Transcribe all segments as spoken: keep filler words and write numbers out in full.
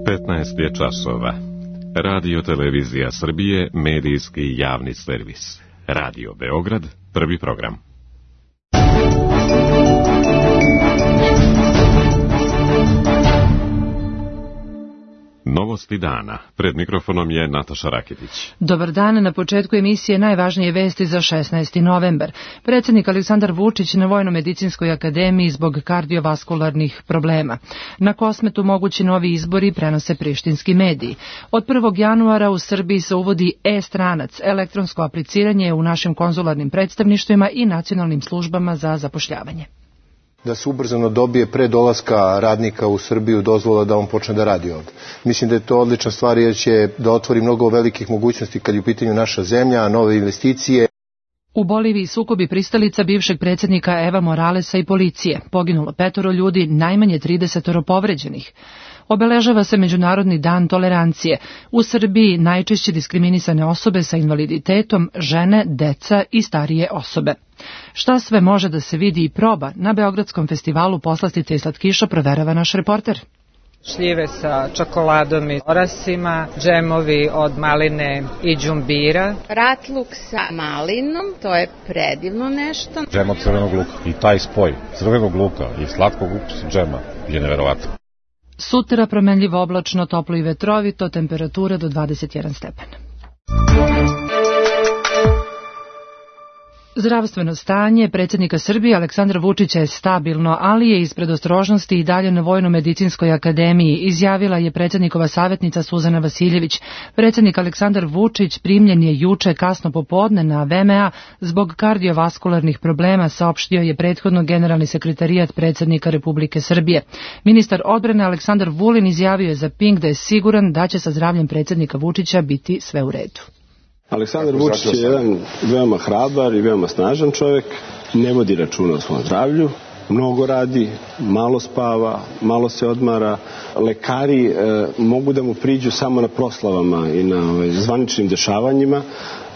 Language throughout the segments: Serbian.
petnaest je časova. Radio Televizija Srbije, medijski javni servis. Radio Beograd, prvi program. Novosti dana. Pred mikrofonom je Nataša Raketić. Dobar dan. Na početku emisije najvažnije vesti za šesnaesti novembar. Predsjednik Aleksandar Vučić na Vojno-medicinskoj akademiji zbog kardiovaskularnih problema. Na Kosmetu mogući novi izbori, prenose prištinski mediji. Od prvog januara u Srbiji se uvodi e-stranac, elektronsko apliciranje u našim konzularnim predstavništvima i nacionalnim službama za zapošljavanje. Da se ubrzano dobije pre dolaska radnika u Srbiju dozvola da on počne da radi ovdje. Mislim da je to odlična stvar jer će da otvori mnogo velikih mogućnosti kad je u pitanju naša zemlja, nove investicije. U Boliviji sukobi pristalica bivšeg predsjednika Eva Moralesa i policije. Poginulo petoro ljudi, najmanje tridesetoro povređenih. Obeležava se Međunarodni dan tolerancije. U Srbiji najčešće diskriminisane osobe sa invaliditetom, žene, deca i starije osobe. Šta sve može da se vidi i proba na Beogradskom festivalu poslastica i slatkiša proverava naš reporter. Šljive sa čokoladom i orasima, džemovi od maline i đumbira. Ratluk sa malinom, to je predivno nešto. Džem od crvenog luka i taj spoj crvenog luka i slatkog ukusa džema je neverovatno. Sutra promenljivo oblačno, toplo i vetrovito, temperatura do dvadeset jedan stepen. Zdravstveno stanje predsjednika Srbije Aleksandra Vučića je stabilno, ali je iz predostrožnosti i dalje na Vojno-medicinskoj akademiji, izjavila je predsjednikova savjetnica Suzana Vasiljević. Predsjednik Aleksandar Vučić primljen je juče kasno popodne na V M A zbog kardiovaskularnih problema, saopštio je prethodno generalni sekretarijat predsjednika Republike Srbije. Ministar odbrane Aleksandar Vulin izjavio je za Pink da je siguran da će sa zdravljem predsjednika Vučića biti sve u redu. Aleksandar Vučić je jedan veoma hrabar i veoma snažan čovjek, ne vodi računa o svom zdravlju, mnogo radi, malo spava, malo se odmara. Lekari e, mogu da mu priđu samo na proslavama i na ovaj, zvaničnim dešavanjima.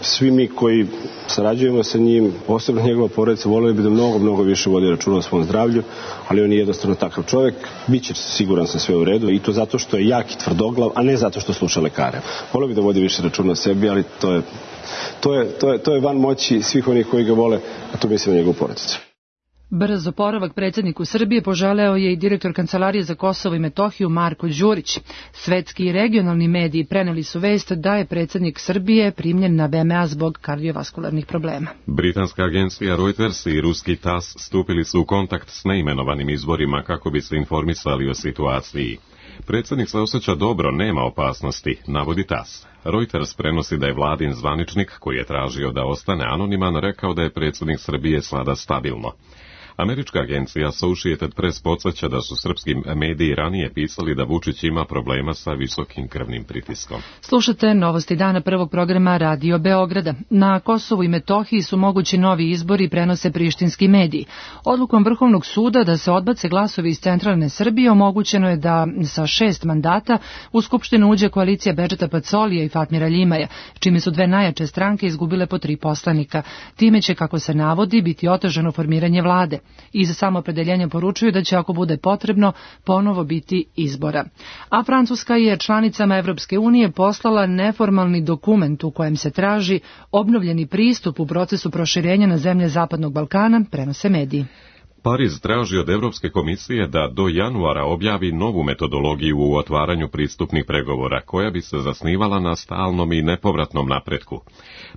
Svi mi koji sarađujemo sa njim, posebno njegova porodica, voleli bi da mnogo, mnogo više vodi računa o svom zdravlju, ali on je jednostavno takav čovjek. Biće siguran sam sve u redu i to zato što je jak i tvrdoglav, a ne zato što sluša lekare. Voleo bi da vodi više računa o sebi, ali to je, to je, to je, to je van moći svih onih koji ga vole, a to mislim na njegovu porodicu. Brz oporavak predsjedniku Srbije poželeo je i direktor Kancelarije za Kosovo i Metohiju Marko Đurić. Svetski i regionalni mediji preneli su vest da je predsjednik Srbije primljen na V M A zbog kardiovaskularnih problema. Britanska agencija Reuters i ruski T A S stupili su u kontakt s neimenovanim izvorima kako bi se informisali o situaciji. Predsjednik se osjeća dobro, nema opasnosti, navodi T A S. Reuters prenosi da je vladin zvaničnik, koji je tražio da ostane anoniman, rekao da je predsjednik Srbije sada stabilno. Američka agencija Associated Press podsjeća da su srpski mediji ranije pisali da Vučić ima problema sa visokim krvnim pritiskom. Slušate novosti dana prvog programa Radio Beograda. Na Kosovu i Metohiji su mogući novi izbori, prenose prištinski mediji. Odlukom Vrhovnog suda da se odbace glasovi iz centralne Srbije omogućeno je da sa šest mandata u Skupštinu uđe koalicija Bedžeta Pacolija i Fatmira Ljimaja, čime su dve najjače stranke izgubile po tri poslanika. Time će, kako se navodi, biti otežano formiranje vlade. I za samoopredeljenje poručuju da će, ako bude potrebno, ponovo biti izbora. A Francuska je članicama Evropske unije poslala neformalni dokument u kojem se traži obnovljeni pristup u procesu proširenja na zemlje Zapadnog Balkana, prenose mediji. Pariz traži od Evropske komisije da do januara objavi novu metodologiju u otvaranju pristupnih pregovora, koja bi se zasnivala na stalnom i nepovratnom napretku.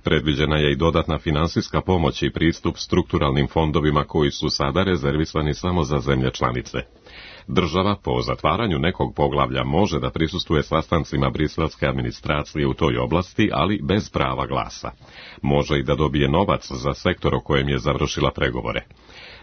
Predviđena je i dodatna finansijska pomoć i pristup strukturalnim fondovima koji su sada rezervisani samo za zemlje članice. Država po zatvaranju nekog poglavlja može da prisustvuje sastancima briselske administracije u toj oblasti, ali bez prava glasa. Može i da dobije novac za sektor o kojem je završila pregovore.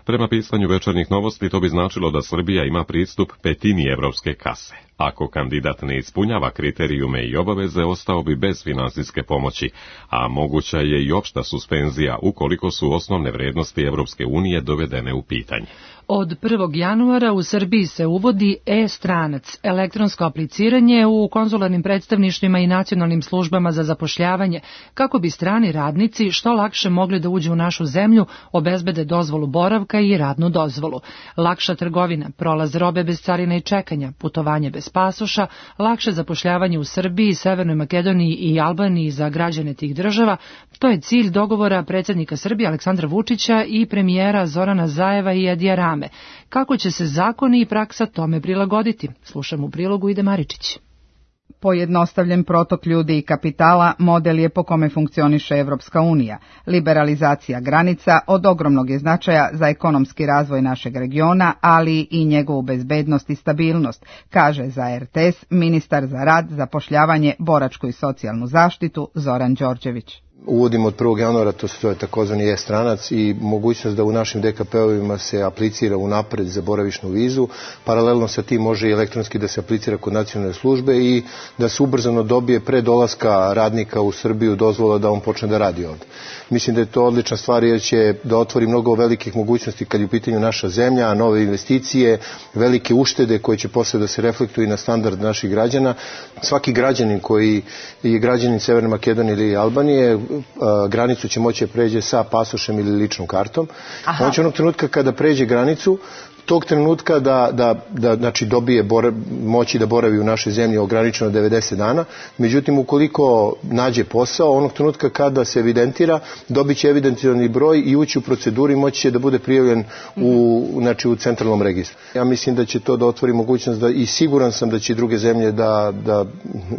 Prema pisanju Večernjih novosti, to bi značilo da Srbija ima pristup petini evropske kase. Ako kandidat ne ispunjava kriterijume i obaveze, ostao bi bez finansijske pomoći, a moguća je i opšta suspenzija ukoliko su osnovne vrednosti Evropske unije dovedene u pitanje. Od prvog januara u Srbiji se uvodi e-stranac, elektronsko apliciranje u konzularnim predstavništvima i nacionalnim službama za zapošljavanje, kako bi strani radnici što lakše mogli da uđu u našu zemlju, obezbede dozvolu boravka i radnu dozvolu. Lakša trgovina, prolaz robe bez carine i čekanja, putovanje bez pasoša, lakše zapošljavanje u Srbiji, Severnoj Makedoniji i Albaniji za građane tih država. To je cilj dogovora predsjednika Srbije Aleksandra Vučića i premijera Zorana Zajeva i Edija Rame. Kako će se zakoni i praksa tome prilagoditi? Slušamo u prilogu Ide Maričić. Pojednostavljen protok ljudi i kapitala model je po kome funkcioniše Evropska unija. Liberalizacija granica od ogromnog je značaja za ekonomski razvoj našeg regiona, ali i njegovu bezbednost i stabilnost, kaže za er te es ministar za rad, zapošljavanje, boračku i socijalnu zaštitu Zoran Đorđević. Uvodimo od prvog januara, to se takozvani e-stranac i mogućnost da u našim de ka pe ovima se aplicira unapred za boravišnu vizu. Paralelno sa tim može i elektronski da se aplicira kod nacionalne službe i da se ubrzano dobije pre dolaska radnika u Srbiju dozvola da on počne da radi ovde. Mislim da je to odlična stvar jer će da otvori mnogo velikih mogućnosti kad je u pitanju naša zemlja, nove investicije, velike uštede koje će posle da se reflektuju na standard naših građana. Svaki građanin koji je građanin Severne Makedonije ili Albanije granicu će moći da pređe sa pasošem ili ličnom kartom. Aha. On će onog trenutka kada pređe granicu, tog trenutka da, da, da znači dobije bora, moći da boravi u našoj zemlji ograničeno devedeset dana. Međutim, ukoliko nađe posao, onog trenutka kada se evidentira, dobit će evidentirani broj i ući u proceduru i moći će da bude prijavljen u, znači, u centralnom registru. Ja mislim da će to da otvori mogućnost da, i siguran sam da će druge zemlje da, da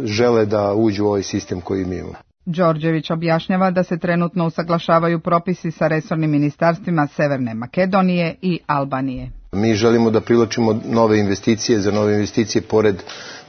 žele da uđu u ovaj sistem koji mi imamo. Đorđević objašnjava da se trenutno usaglašavaju propisi sa resornim ministarstvima Severne Makedonije i Albanije. Mi želimo da privlačimo nove investicije, za nove investicije pored,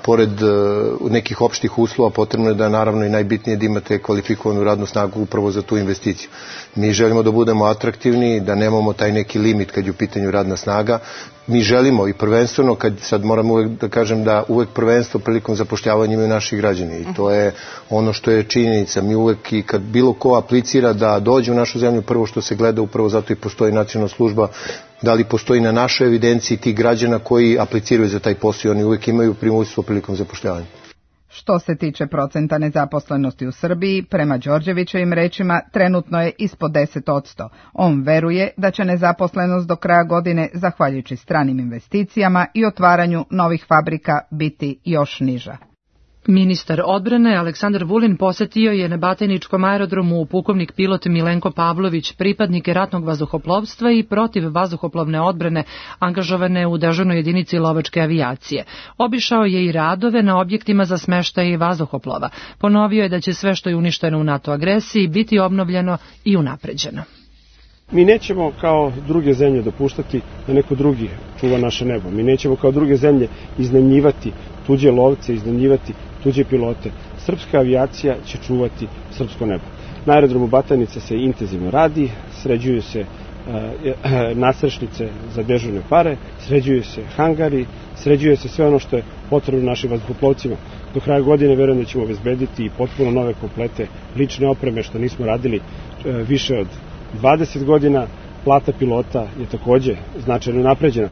pored uh, nekih opštih uslova potrebno je da naravno i najbitnije da imate kvalifikovanu radnu snagu upravo za tu investiciju. Mi želimo da budemo atraktivni, da nemamo taj neki limit kad je u pitanju radna snaga. Mi želimo i prvenstveno, kad sad moram uvek da kažem da uvek prvenstvo prilikom zapošljavanja imaju naši građani i to je ono što je činjenica. Mi uvek i kad bilo ko aplicira da dođe u našu zemlju, prvo što se gleda, upravo zato i postoji nacionalna služba, da li postoji na našoj evidenciji tih građana koji apliciraju za taj posao i oni uvek imaju primoljstvo prilikom zapošljavanja. Što se tiče procenta nezaposlenosti u Srbiji, prema Đorđevićevim rečima, trenutno je ispod deset posto. On veruje da će nezaposlenost do kraja godine, zahvaljujući stranim investicijama i otvaranju novih fabrika, biti još niža. Ministar odbrane Aleksandar Vulin posetio je na Batajničkom aerodromu pukovnik pilot Milenko Pavlović, pripadnike ratnog vazduhoplovstva i protiv vazduhoplovne odbrane angažovane u dežurnoj jedinici lovačke avijacije. Obišao je i radove na objektima za smeštaj vazduhoplova. Ponovio je da će sve što je uništeno u NATO agresiji biti obnovljeno i unapređeno. Mi nećemo kao druge zemlje dopuštati da neko drugi čuva naše nebo. Mi nećemo kao druge zemlje iznajmljivati tuđe lovce, iznajmljivati tuđe pilote. Srpska avijacija će čuvati srpsko nebo. Na aerodromu Batajnica se intenzivno radi, sređuju se e, nasrešnice za dežurne pare, sređuju se hangari, sređuje se sve ono što je potrebno našim vazduhoplovcima. Do kraja godine verujem da ćemo obezbediti i potpuno nove komplete lične opreme, što nismo radili e, više od dvadeset godina. Plata pilota je takođe značajno napređena.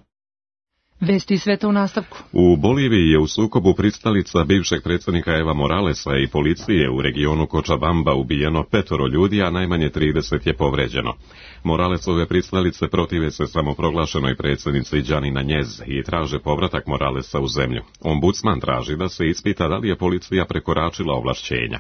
Vesti sveta u nastavku. U Boliviji je u sukobu pristalica bivšeg predsjednika Eva Moralesa i policije u regionu Cochabamba ubijeno petoro ljudi, a najmanje trideset je povređeno. Moralesove pristalice protive se samoproglašenoj predsjednici Janina Njez i traže povratak Moralesa u zemlju. Ombudsman traži da se ispita da li je policija prekoračila ovlašćenja.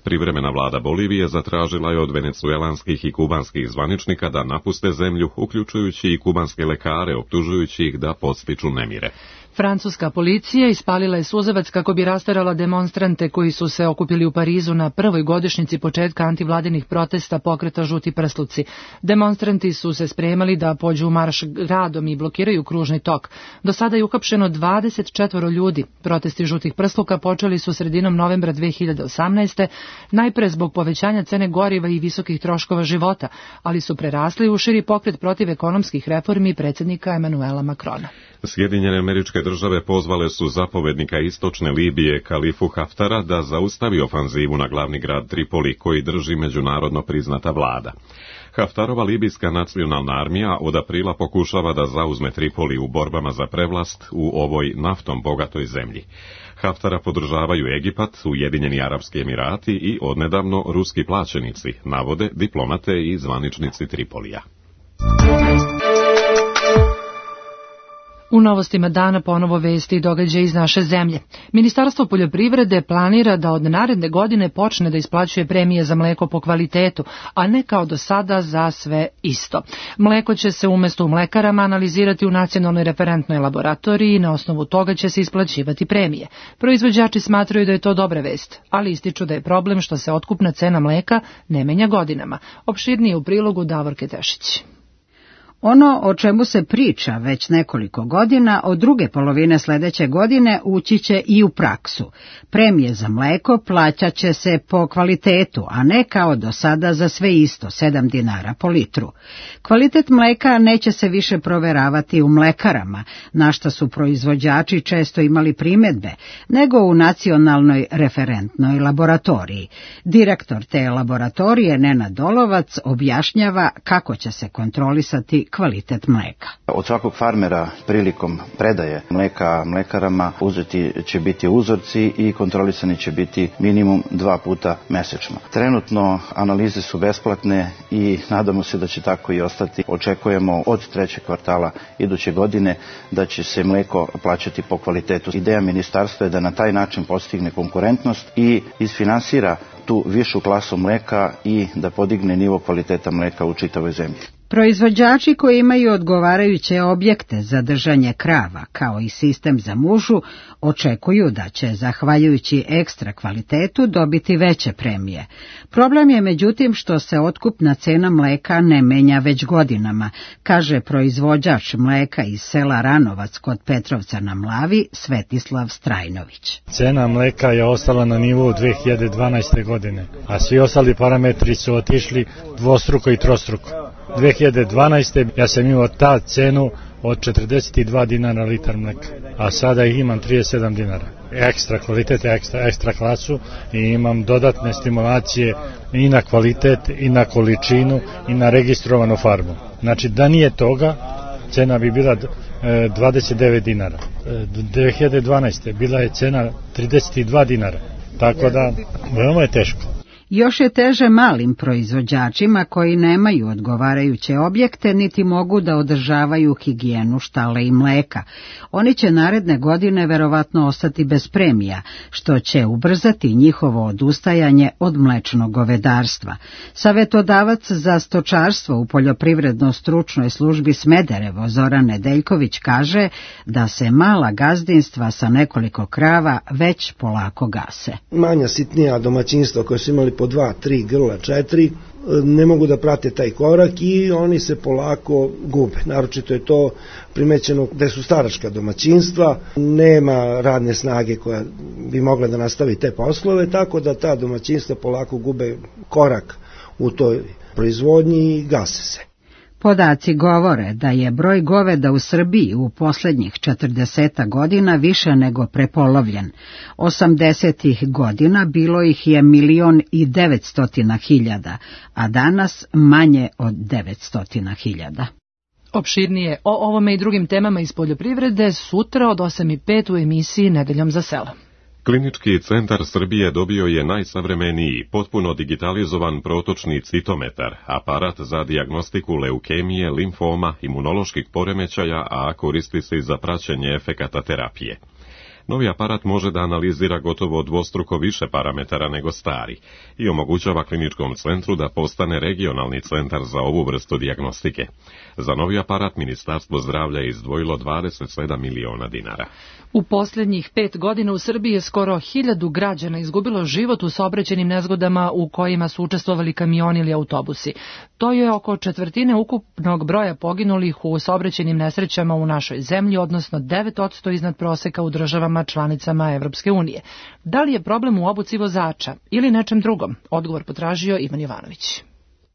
Privremena vlada Bolivije zatražila je od venecuelanskih i kubanskih zvaničnika da napuste zemlju, uključujući i kubanske lekare, optužujući ih da podstiču nemire. Francuska policija ispalila je suzavac kako bi rasterala demonstrante koji su se okupili u Parizu na prvoj godišnjici početka antivladinih protesta pokreta Žuti prsluci. Demonstranti su se spremali da pođu u marš gradom i blokiraju kružni tok. Do sada je uhapšeno dvadeset četvoro ljudi. Protesti Žutih prsluka počeli su sredinom novembra dve hiljade osamnaeste. najpre zbog povećanja cene goriva i visokih troškova života, ali su prerasli u širi pokret protiv ekonomskih reformi predsjednika Emanuela Makrona. Sjedinjene Američke Države pozvale su zapovednika istočne Libije Kalifu Haftara da zaustavi ofanzivu na glavni grad Tripoli koji drži međunarodno priznata vlada. Haftarova libijska nacionalna armija od aprila pokušava da zauzme Tripoli u borbama za prevlast u ovoj naftom bogatoj zemlji. Haftara podržavaju Egipat, Ujedinjeni Arapski Emirati i odnedavno ruski plaćenici, navode diplomate i zvaničnici Tripolija. U novostima dana ponovo vesti i događaje iz naše zemlje. Ministarstvo poljoprivrede planira da od naredne godine počne da isplaćuje premije za mleko po kvalitetu, a ne kao do sada za sve isto. Mleko će se umesto u mlekarama analizirati u nacionalnoj referentnoj laboratoriji i na osnovu toga će se isplaćivati premije. Proizvođači smatraju da je to dobra vest, ali ističu da je problem što se otkupna cena mleka ne menja godinama. Opširnije u prilogu Davorke Tešić. Ono o čemu se priča već nekoliko godina, od druge polovine sledeće godine ući će i u praksu. Premije za mleko plaćat će se po kvalitetu, a ne kao do sada za sve isto, sedam dinara po litru. Kvalitet mleka neće se više proveravati u mlekarama, na šta su proizvođači često imali primedbe, nego u nacionalnoj referentnoj laboratoriji. Direktor te laboratorije, Nenad Dolovac, objašnjava kako će se kontrolisati kvalitet mleka. Od svakog farmera prilikom predaje mleka mlekarama uzeti će biti uzorci i kontrolisani će biti minimum dva puta mesečno. Trenutno analize su besplatne i nadamo se da će tako i ostati. Očekujemo od trećeg kvartala iduće godine da će se mleko plaćati po kvalitetu. Ideja ministarstva je da na taj način postigne konkurentnost i isfinansira tu višu klasu mleka i da podigne nivo kvaliteta mleka u čitavoj zemlji. Proizvođači koji imaju odgovarajuće objekte za držanje krava, kao i sistem za mužu, očekuju da će, zahvaljujući ekstra kvalitetu, dobiti veće premije. Problem je međutim što se otkupna cena mleka ne menja već godinama, kaže proizvođač mleka iz sela Ranovac kod Petrovca na Mlavi, Svetislav Strajnović. Cena mleka je ostala na nivou dve hiljade dvanaeste. godine, a svi ostali parametri su otišli dvostruko i trostruko. dve hiljade dvanaeste. ja sam imao ta cenu od četrdeset dva dinara litar mleka, a sada ih imam trideset sedam dinara. Ekstra kvalitet, ekstra, ekstra klasu i imam dodatne stimulacije i na kvalitet, i na količinu, i na registrovanu farmu. Znači da nije toga, cena bi bila dvadeset devet dinara. dve hiljade dvanaeste. bila je cena trideset dva dinara, tako da veoma je teško. Još je teže malim proizvođačima koji nemaju odgovarajuće objekte niti mogu da održavaju higijenu štale i mleka. Oni će naredne godine verovatno ostati bez premija, što će ubrzati njihovo odustajanje od mlečnog govedarstva. Savetodavac za stočarstvo u poljoprivredno-stručnoj službi Smederevo Zoran Nedeljković kaže da se mala gazdinstva sa nekoliko krava već polako gase. Manja sitnija domaćinstva koje su imali po dva, tri grla, četiri, ne mogu da prate taj korak i oni se polako gube. Naročito je to primećeno gde su staračka domaćinstva, nema radne snage koja bi mogla da nastavi te poslove, tako da ta domaćinstva polako gube korak u toj proizvodnji i gase se. Podaci govore da je broj goveda u Srbiji u poslednjih četrdeset godina više nego prepolovljen. osamdesetih godina bilo ih je milion i devetstotina hiljada, a danas manje od devetstotina hiljada. Opširnije o ovome i drugim temama iz poljoprivrede sutra od osam i pet u emisiji Nedeljom za selo. Klinički centar Srbije dobio je najsavremeniji, potpuno digitalizovan protočni citometar, aparat za dijagnostiku leukemije, limfoma, imunoloških poremećaja, a koristi se i za praćenje efekata terapije. Novi aparat može da analizira gotovo dvostruko više parametara nego stari i omogućava kliničkom centru da postane regionalni centar za ovu vrstu dijagnostike. Za novi aparat Ministarstvo zdravlja je izdvojilo dvadeset sedam miliona dinara. U posljednjih pet godina u Srbiji je skoro hiljadu građana izgubilo život u saobraćajnim nezgodama u kojima su učestvovali kamioni ili autobusi. To je oko četvrtine ukupnog broja poginulih u saobraćajnim nesrećama u našoj zemlji, odnosno devet posto iznad proseka u državama članicama Evropske unije. Da li je problem u obuci vozača ili nečem drugom? Odgovor potražio Ivan Jovanović.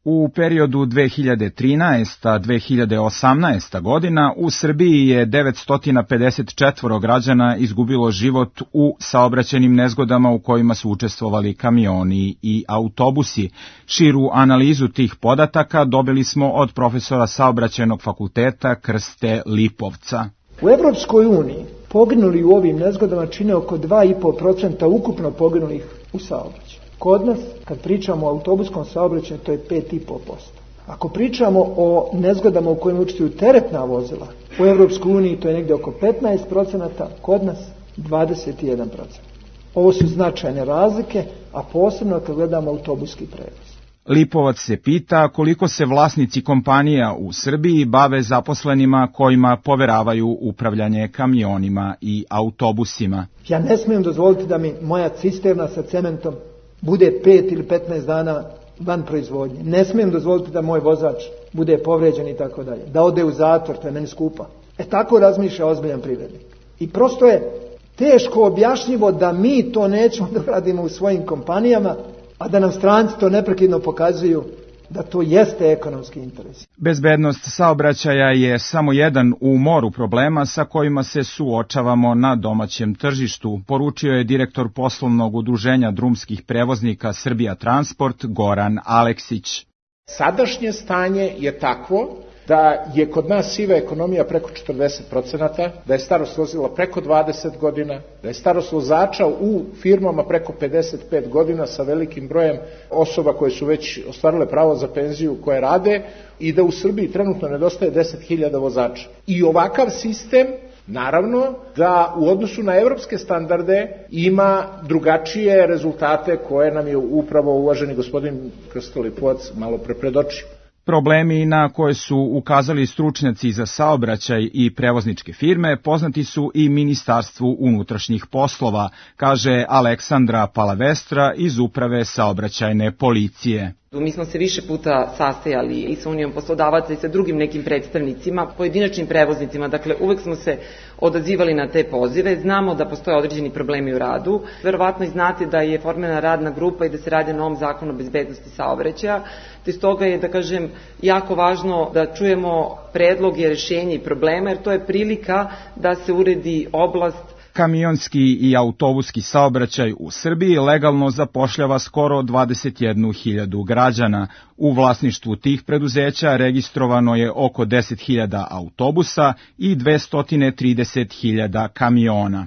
U periodu dve hiljade trinaesta do dve hiljade osamnaeste. godina u Srbiji je devetsto pedeset četiri građana izgubilo život u saobraćajnim nezgodama u kojima su učestvovali kamioni i autobusi. Širu analizu tih podataka dobili smo od profesora Saobraćajnog fakulteta Krste Lipovca. U Evropskoj uniji poginuli u ovim nezgodama čine oko dva i po procenta ukupno poginulih u saobraćaju. Kod nas, kad pričamo o autobuskom saobraćaju, to je pet i po posto. Ako pričamo o nezgodama u kojima učestvuju teretna vozila, u Evropskoj uniji to je negdje oko petnaest procenata, kod nas dvadeset jedan procenat. Ovo su značajne razlike, a posebno kad gledamo autobuski prevoz. Lipovac se pita koliko se vlasnici kompanija u Srbiji bave zaposlenima kojima poveravaju upravljanje kamionima i autobusima. Ja ne smijem dozvoliti da mi moja cisterna sa cementom bude pet ili petnaest dana van proizvodnje. Ne smijem dozvoliti da moj vozač bude povređen i tako dalje. Da ode u zatvor, to je meni skupa. E tako razmišlja ozbiljan privrednik. I prosto je teško objašnjivo da mi to nećemo da radimo u svojim kompanijama, a da nam stranci to neprekidno pokazuju da to jeste ekonomski interes. Bezbednost saobraćaja je samo jedan u moru problema sa kojima se suočavamo na domaćem tržištu, poručio je direktor poslovnog udruženja drumskih prevoznika Srbija Transport Goran Aleksić. Sadašnje stanje je takvo da je kod nas siva ekonomija preko četrdeset procenata, da je starost vozila preko dvadeset godina, da je starost vozača u firmama preko pedeset pet godina sa velikim brojem osoba koje su već ostvarile pravo za penziju koje rade i da u Srbiji trenutno nedostaje deset hiljada vozača. I ovakav sistem, naravno, da u odnosu na evropske standarde ima drugačije rezultate koje nam je upravo uvaženi gospodin Krsto Lipovac malo pre predočio. Problemi na koje su ukazali stručnjaci za saobraćaj i prevozničke firme poznati su i Ministarstvu unutrašnjih poslova, kaže Aleksandra Palavestra iz Uprave saobraćajne policije. Mi smo se više puta sastajali i sa Unijom poslodavaca i sa drugim nekim predstavnicima, pojedinačnim prevoznicima, dakle uvek smo se odazivali na te pozive, znamo da postoje određeni problemi u radu, verovatno i znate da je formirana radna grupa i da se radi na novom zakonu o bezbednosti saobraćaja, te stoga je, da kažem, jako važno da čujemo predloge, rešenja i problema, jer to je prilika da se uredi oblast. Kamionski i autobuski saobraćaj u Srbiji legalno zapošljava skoro dvadeset jednu hiljadu građana. U vlasništvu tih preduzeća registrovano je oko deset hiljada autobusa i dvesta trideset hiljada kamiona.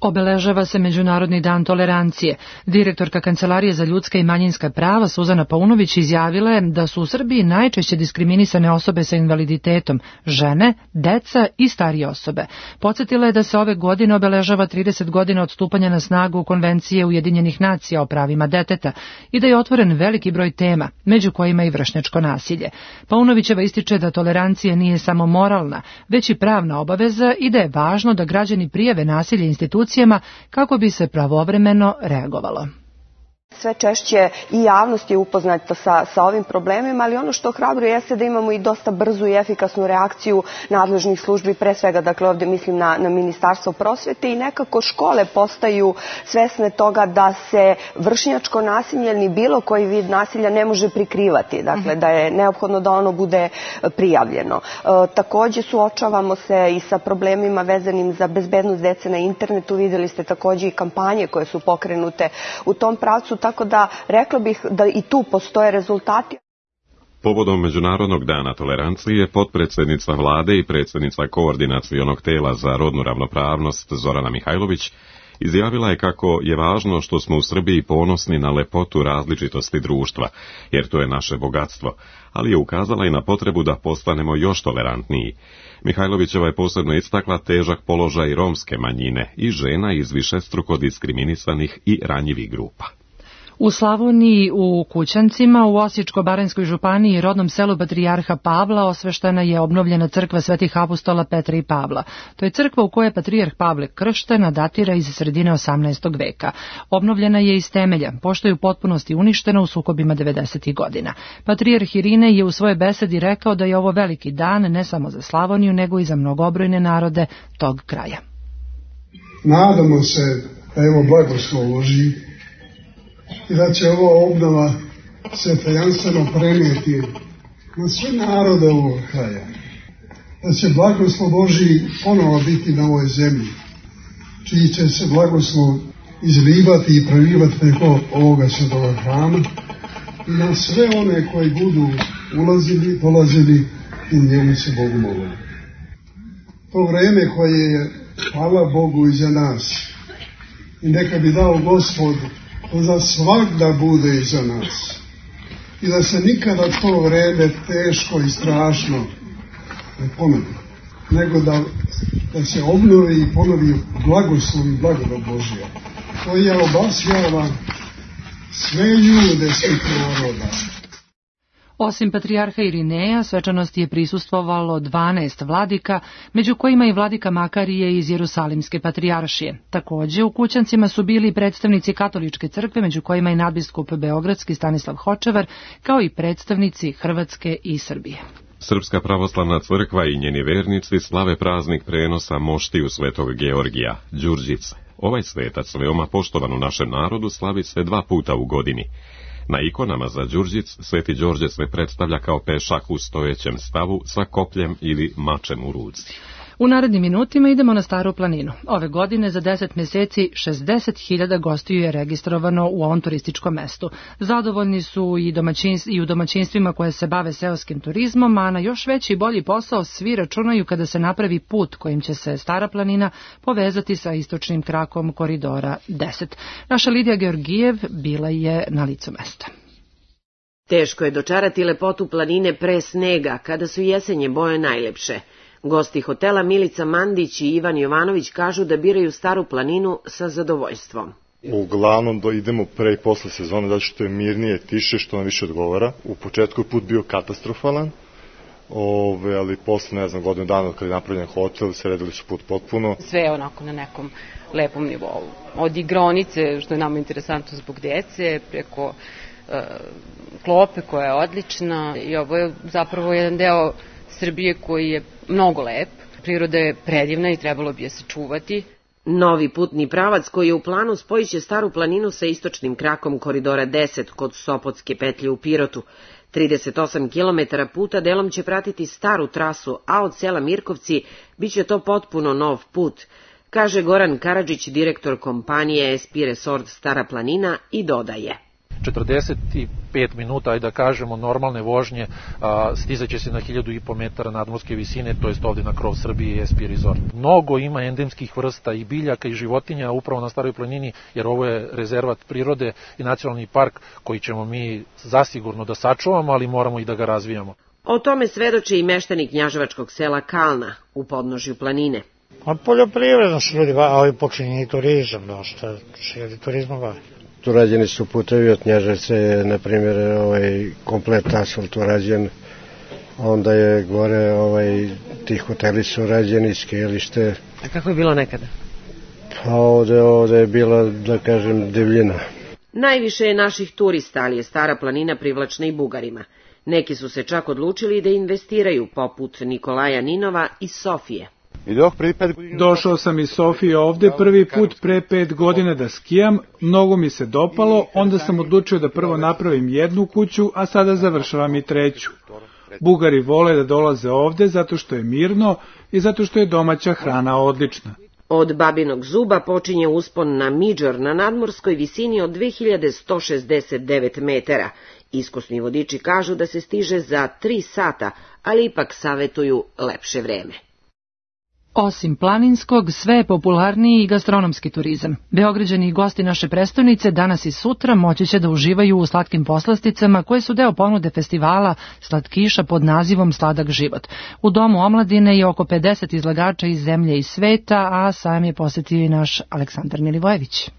Obeležava se Međunarodni dan tolerancije. Direktorka Kancelarije za ljudska i manjinska prava Suzana Paunović izjavila je da su u Srbiji najčešće diskriminisane osobe sa invaliditetom, žene, deca i starije osobe. Podsjetila je da se ove godine obeležava trideset godina od stupanja na snagu Konvencije Ujedinjenih nacija o pravima deteta i da je otvoren veliki broj tema, među kojima i vršnjačko nasilje. Paunovićeva ističe da tolerancija nije samo moralna, već i pravna obaveza i da je važno da građani prijave nasilje institucijama kako bi se pravovremeno reagovalo. Sve češće i javnost je upoznata sa, sa ovim problemima, ali ono što hrabruje jeste da imamo i dosta brzu i efikasnu reakciju nadležnih službi, pre svega, dakle ovdje mislim na, na Ministarstvo prosvete i nekako škole postaju svesne toga da se vršnjačko nasilje ni bilo koji vid nasilja ne može prikrivati, dakle da je neophodno da ono bude prijavljeno. E, također suočavamo se i sa problemima vezanim za bezbednost dece na internetu, vidjeli ste također i kampanje koje su pokrenute u tom pravcu, tako da rekla bih da i tu postoje rezultati. Povodom Međunarodnog dana tolerancije, potpredsjednica vlade i predsjednica koordinacionog tela za rodnu ravnopravnost Zorana Mihajlović izjavila je kako je važno što smo u Srbiji ponosni na lepotu različitosti društva, jer to je naše bogatstvo, ali je ukazala i na potrebu da postanemo još tolerantniji. Mihajlovićeva je posebno istakla težak položaj romske manjine i žena iz višestruko diskriminisanih i ranjivih grupa. U Slavoniji, u Kućancima, u Osječko-baranjskoj županiji i rodnom selu Patrijarha Pavla osveštena je obnovljena crkva Svetih apostola Petra i Pavla. To je crkva u kojoj je Patrijarh Pavle kršten, a datira iz sredine osamnaestog veka. Obnovljena je iz temelja, pošto je u potpunosti uništena u sukobima devedesetih godina. Patrijarh Irine je u svojoj besedi rekao da je ovo veliki dan ne samo za Slavoniju, nego i za mnogobrojne narode tog kraja. Nadamo se da evo blagoslov Božji i da će ova obnova se tajanstveno prenijeti na sve narode ovog kraja. Da će blagoslov Božji ponovo biti na ovoj zemlji, čiji će se blagoslov izlivati i prelivati preko ovoga svetoga hrama i na sve one koji budu ulazili, dolazili i njemu se Bogu molili. To vreme koje je, hvala Bogu, iza nas i neka bi dao Gospod to za svak da bude iza nas. i da se nikada to vreme teško i strašno ne ponovi, nego da, da se obnovi i ponovi blagoslov i blagodat Božja. To je obasjava sve ljude svih naroda. Osim patrijarha Irineja, svečanosti je prisustvovalo dvanaest vladika, među kojima i vladika Makarije iz Jerusalimske patrijaršije. Takođe, u kućancima su bili predstavnici katoličke crkve, među kojima i nadbiskup beogradski Stanislav Hočevar, kao i predstavnici Hrvatske i Srbije. Srpska pravoslavna crkva i njeni vernici slave praznik prenosa moštiju svetog Georgija, Đurđice. Ovaj svetac, veoma poštovan u našem narodu, slavi se dva puta u godini. Na ikonama za Đurđic Sveti Đorđe se predstavlja kao pešak u stojećem stavu sa kopljem ili mačem u ruci. U narednim minutima idemo na Staru planinu. Ove godine za deset meseci šezdeset hiljada gostiju je registrovano u ovom turističkom mestu. Zadovoljni su i, domaćinstv, i u domaćinstvima koje se bave seoskim turizmom, a na još veći i bolji posao svi računaju kada se napravi put kojim će se Stara planina povezati sa istočnim krakom koridora deset. Naša Lidija Georgijev bila je na licu mesta. Teško je dočarati lepotu planine pre snega, kada su jesenje boje najlepše. Gosti hotela Milica Mandić i Ivan Jovanović kažu da biraju Staru planinu sa zadovoljstvom. Uglavnom do idemo pre i posle sezone, zato što je mirnije, tiše, što nam više odgovara. U početku je put bio katastrofalan, ove, ali posle, ne znam, godinu dana kada je napravljen hotel, sredili su put potpuno. Sve je onako na nekom lepom nivou. Od igronice, što je nama interesantno zbog dece, preko e, klope koja je odlična, i ovo je zapravo jedan deo Srbije koji je mnogo lep, priroda je predivna i trebalo bi je se čuvati. Novi putni pravac koji je u planu spojiće Staru planinu sa istočnim krakom koridora deset kod Sopotske petlje u Pirotu. trideset osam kilometara puta delom će pratiti staru trasu, a od sela Mirkovci biće to potpuno nov put, kaže Goran Karadžić, direktor kompanije es pe Resort Stara planina, i dodaje. četrdeset pet minuta, ajde da kažemo, normalne vožnje, a, stizaće se na hiljadu i po metara nadmorske visine, to jest ovde na krov Srbije i es pe Resort. Mnogo ima endemskih vrsta i biljaka i životinja upravo na Staroj planini, jer ovo je rezervat prirode i nacionalni park koji ćemo mi zasigurno da sačuvamo, ali moramo i da ga razvijamo. O tome svedoči i meštani knjaževačkog sela Kalna u podnožju planine. A poljoprivredno su ljudi, ali počinje i turizam, dosta se ljudi turizmom bavi. Urađeni su putevi od Knjaževce, na primjer, ovaj, komplet asfalt urađen, onda je gore, ovaj, ti hoteli su rađeni, skijalište. A kako je bilo nekada? Pa ovde, ovde je bila, da kažem, divljina. Najviše je naših turista, ali je Stara planina privlačna i Bugarima. Neki su se čak odlučili da investiraju, poput Nikolaja Ninova iz Sofije. Došao sam iz Sofije ovde prvi put pre pet godine da skijam, mnogo mi se dopalo, onda sam odlučio da prvo napravim jednu kuću, a sada završavam i treću. Bugari vole da dolaze ovde zato što je mirno i zato što je domaća hrana odlična. Od Babinog zuba počinje uspon na Midžor na nadmorskoj visini od dve hiljade sto šezdeset devet metara. Iskusni vodiči kažu da se stiže za tri sata, ali ipak savetuju lepše vreme. Osim planinskog, sve je popularniji i gastronomski turizam. Beograđani i gosti naše prestonice danas i sutra moći će da uživaju u slatkim poslasticama koje su deo ponude festivala slatkiša pod nazivom Sladak život. U Domu omladine je oko pedeset izlagača iz zemlje i sveta, a sam je posetio i naš Aleksandar Milivojević.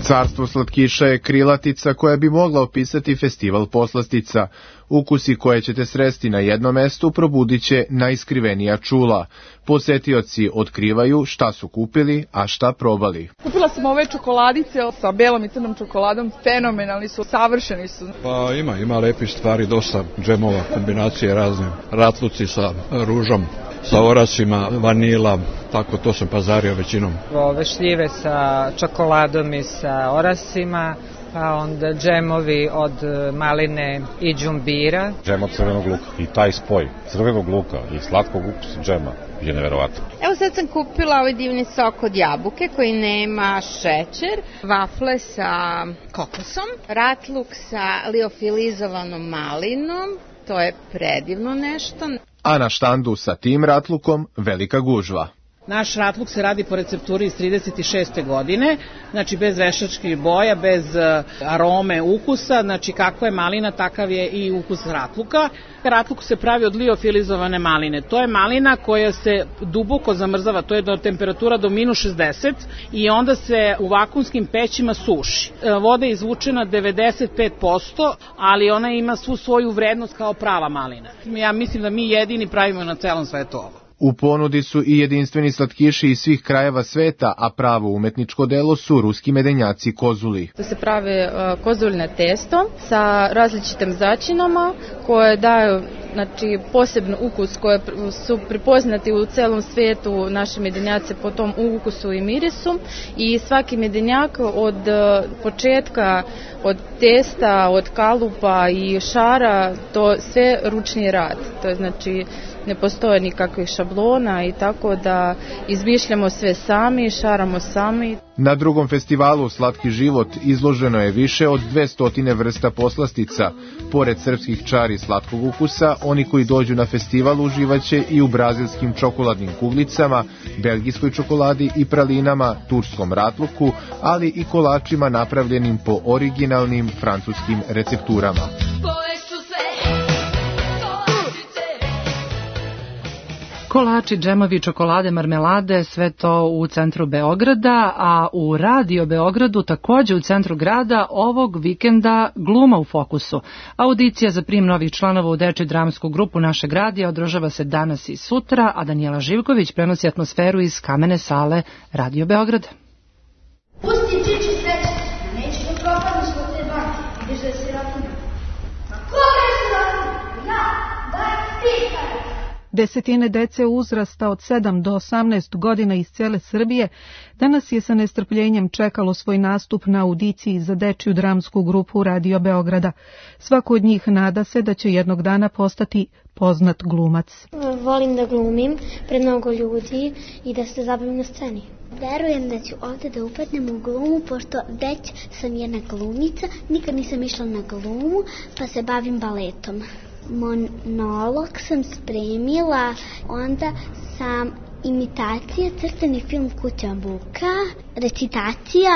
Carstvo slatkiša je krilatica koja bi mogla opisati festival poslastica. Ukusi koje ćete sresti na jednom mestu probudit će najiskrivenija čula. Posetioci otkrivaju šta su kupili, a šta probali. Kupila sam ove čokoladice sa belom i crnom čokoladom, fenomenalni su, savršeni su. Pa ima, ima lepih stvari, dosta džemova, kombinacije razne, ratluci sa ružom, sa orasima, vanila, tako to sam pazario većinom. Ove šljive sa čokoladom i sa orasima, pa onda džemovi od maline i džumbira. Džem od crvenog luka i taj spoj crvenog luka i slatkog ukusa džema je neverovatno. Evo sad sam kupila ovaj divni sok od jabuke koji nema šećer, vafle sa kokosom, ratluk sa liofilizovanom malinom, to je predivno nešto. A na štandu sa tim ratlukom velika gužva. Naš ratluk se radi po recepturi iz trideset šeste godine, znači bez veštačkih boja, bez arome, ukusa, znači kakva je malina, takav je i ukus ratluka. Ratluk se pravi od liofilizovane maline. To je malina koja se duboko zamrzava, to je do temperatura do minus šezdeset i onda se u vakumskim pećima suši. Voda je izvučena devedeset pet posto, ali ona ima svu svoju vrednost kao prava malina. Ja mislim da mi jedini pravimo na celom svetu ovo. U ponudi su i jedinstveni slatkiši iz svih krajeva sveta, a pravo umetničko delo su ruski medenjaci kozuli. To se pravi uh, kozuljne testo sa različitim začinama koje daju znači, posebno ukus koje su prepoznati u celom svetu naši medenjaci po tom ukusu i mirisu i svaki medenjak od početka, od testa, od kalupa i šara, to sve ručni rad. To je znači ne postoje nikakvih šablona i tako da izmišljamo sve sami, šaramo sami. Na drugom festivalu Slatki život izloženo je više od dvesta vrsta poslastica. Pored srpskih čari slatkog ukusa, oni koji dođu na festival uživaće i u brazilskim čokoladnim kuglicama, belgijskoj čokoladi i pralinama, turskom ratluku, ali i kolačima napravljenim po originalnim francuskim recepturama. Kolači, džemovi, čokolade, marmelade, sve to u centru Beograda, a u Radio Beogradu takođe u centru grada ovog vikenda gluma u fokusu. Audicija za prijem novih članova u dečju dramsku grupu našeg radija održava se danas i sutra, a Danijela Živković prenosi atmosferu iz kamene sale Radio Beograda. Pusti čiči sreće, neće da propadnu zbog te banke, ideš da se računa. Ma koga je se računa? Ja, daj ti kaj. Desetine dece uzrasta od sedam do osamnaest godina iz cele Srbije danas je sa nestrpljenjem čekalo svoj nastup na audiciji za dečju dramsku grupu Radio Beograda. Svako od njih nada se da će jednog dana postati poznat glumac. Volim da glumim pred mnogo ljudi i da se zabavim na sceni. Verujem da ću ovde da upadnem u glumu, pošto već sam jedna glumica, nikad nisam išla na glumu, pa se bavim baletom. Monolog sam spremila, onda sam imitacija, crtani film Kuća Buka, recitacija.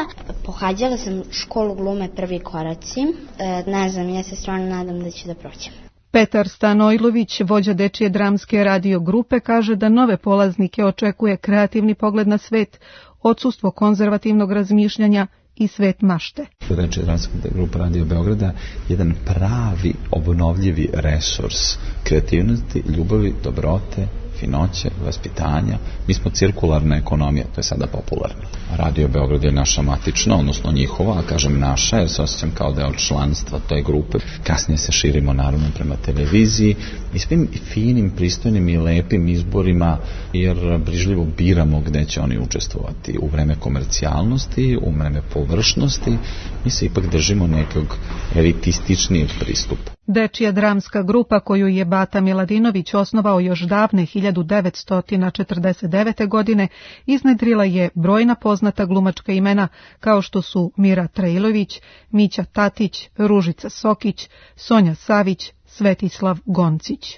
Pohađala sam školu glume Prvi koraci. E, ne znam, ja se stvarno nadam da ću da prođem. Petar Stanojlović, vođa dečije dramske radio grupe, kaže da nove polaznike očekuje kreativni pogled na svet, odsustvo konzervativnog razmišljanja i svet mašte. Dečija dramska grupa Radio Beograda jedan pravi obnovljivi resurs kreativnosti, ljubavi, dobrote, finoće, vaspitanja. Mi smo cirkularna ekonomija, to je sada popularno. Radio Beograd je naša matična, odnosno njihova, a kažem naša, jer se osjećam kao deo članstva toj grupe. Kasnije se širimo naravno prema televiziji i svim finim, pristojnim i lepim izborima, jer brižljivo biramo gde će oni učestvovati. U vreme komercijalnosti, u vreme površnosti, mi se ipak držimo nekog elitističnijeg pristupa. Dečija dramska grupa koju je Bata Miladinović osnovao još davne hiljadu devetsto četrdeset devete. godine iznedrila je brojna poznata glumačka imena kao što su Mira Trailović, Mića Tatić, Ružica Sokić, Sonja Savić, Svetislav Goncić.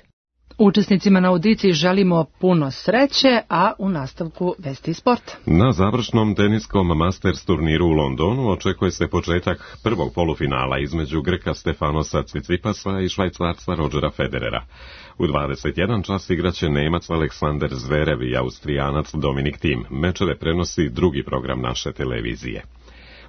Učesnicima na audiciji želimo puno sreće, a u nastavku vesti sporta. Na završnom teniskom Masters turniru u Londonu očekuje se početak prvog polufinala između Grka Stefanosa Cicipasa i Švajcarca Rodgera Federera. U dvadeset jedan čas igraće Nemac Aleksander Zverev i Austrijanac Dominik Thiem. Mečeve prenosi drugi program naše televizije.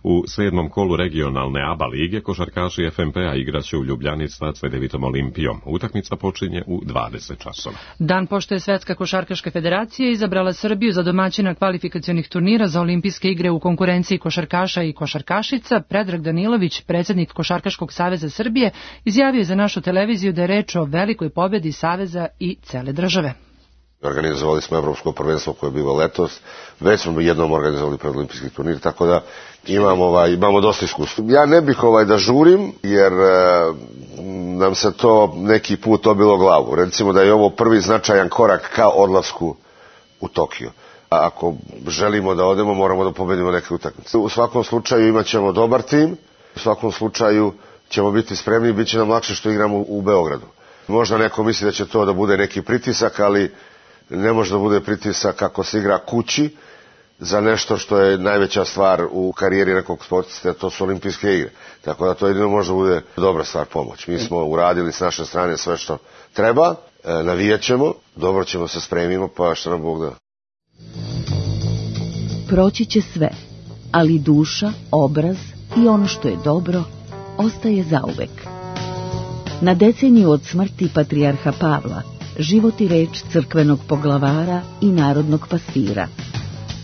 U sedmom kolu regionalne A B A lige košarkaši F M P-a igraće u Ljubljani sa Cvedevitom Olimpijom. Utakmica počinje u dvadeset časova. Dan pošto je Svetska košarkaška federacija izabrala Srbiju za domaćina kvalifikacionih turnira za olimpijske igre u konkurenciji košarkaša i košarkašica, Predrag Danilović, predsjednik Košarkaškog saveza Srbije, izjavio je za našu televiziju da je reč o velikoj pobedi saveza i cele države. Organizovali smo evropsko prvenstvo koje je bilo letos, već smo jednom organizovali predolimpijski turnir, tako da imamo, ovaj, imamo dosta iskustva. Ja ne bih ovaj da žurim, jer e, nam se to neki put obilo glavu. Recimo da je ovo prvi značajan korak ka odlasku u Tokio. A ako želimo da odemo, moramo da pobedimo neke utakmice. U svakom slučaju imat ćemo dobar tim, u svakom slučaju ćemo biti spremni i bit će nam lakše što igramo u Beogradu. Možda neko misli da će to da bude neki pritisak, ali ne može da bude pritisak kako se igra kući za nešto što je najveća stvar u karijeri nekog sportista, to su olimpijske igre. Tako da to jedino može da bude dobra stvar, pomoć. Mi smo uradili s naše strane sve što treba, navijat ćemo, dobro ćemo se spremimo, pa što nam Bog da. Proći će sve, ali duša, obraz i ono što je dobro ostaje zauvek. Na deceniju od smrti patrijarha Pavla, život i reč crkvenog poglavara i narodnog pastira.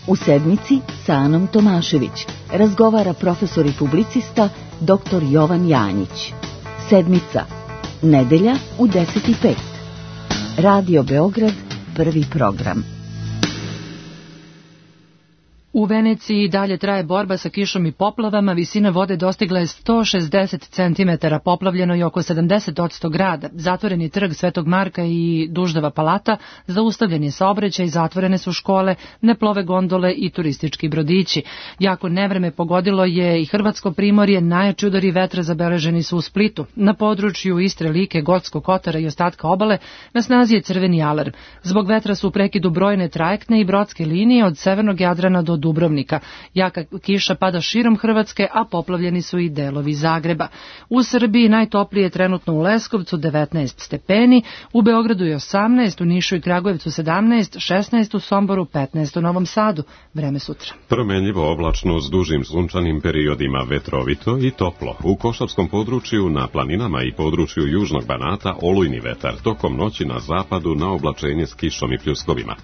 U sedmici sa Anom Tomašević razgovara profesor i publicista doktor Jovan Janjić. Sedmica, nedelja u deset i pet. Radio Beograd, prvi program. U Veneciji dalje traje borba sa kišom i poplavama, visina vode dostigla je sto šezdeset centimetara, poplavljeno je oko sedamdeset posto grada, zatvoren je trg Svetog Marka i Duždava palata, zaustavljen je saobraćaj, zatvorene su škole, ne plove gondole i turistički brodići. Jako nevreme pogodilo je i hrvatsko primorje, najjači udari vetra zabeleženi su u Splitu. Na području Istre, Like, Gorskog Kotara i ostatka obale na snazi je crveni alarm. Zbog vetra su u prekidu brojne trajektne i brodske linije od severnog Jadrana do Dubrovnika. Jaka kiša pada širom Hrvatske, a poplavljeni su i delovi Zagreba. U Srbiji najtoplije je trenutno u Leskovcu devetnaest stepeni, u Beogradu je osamnaest, u Nišu i Kragujevcu sedamnaest, šesnaest u Somboru, petnaest u Novom Sadu. Vreme sutra. Promenljivo oblačno s dužim sunčanim periodima, vetrovito i toplo. U Košavskom području, na planinama i području južnog Banata olujni vetar, tokom noći na zapadu na oblačenje s kišom i pljuskovima.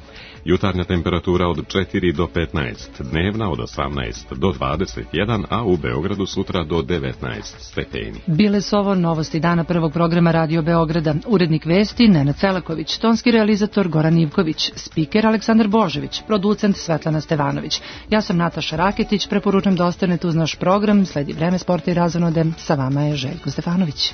Jutarnja temperatura od četiri do petnaest, dnevna od osamnaest do dvadeset jedan, a u Beogradu sutra do devetnaest stepeni. Bile su ovo novosti dana prvog programa Radio Beograda. Urednik vesti Nenad Celaković, tonski realizator Goran Ivković, spiker Aleksandar Božević, producent Svetlana Stevanović. Ja sam Nataša Raketić, preporučujem da ostanete uz naš program, sledi vreme sporta i razonode, sa vama je Željko Stefanović.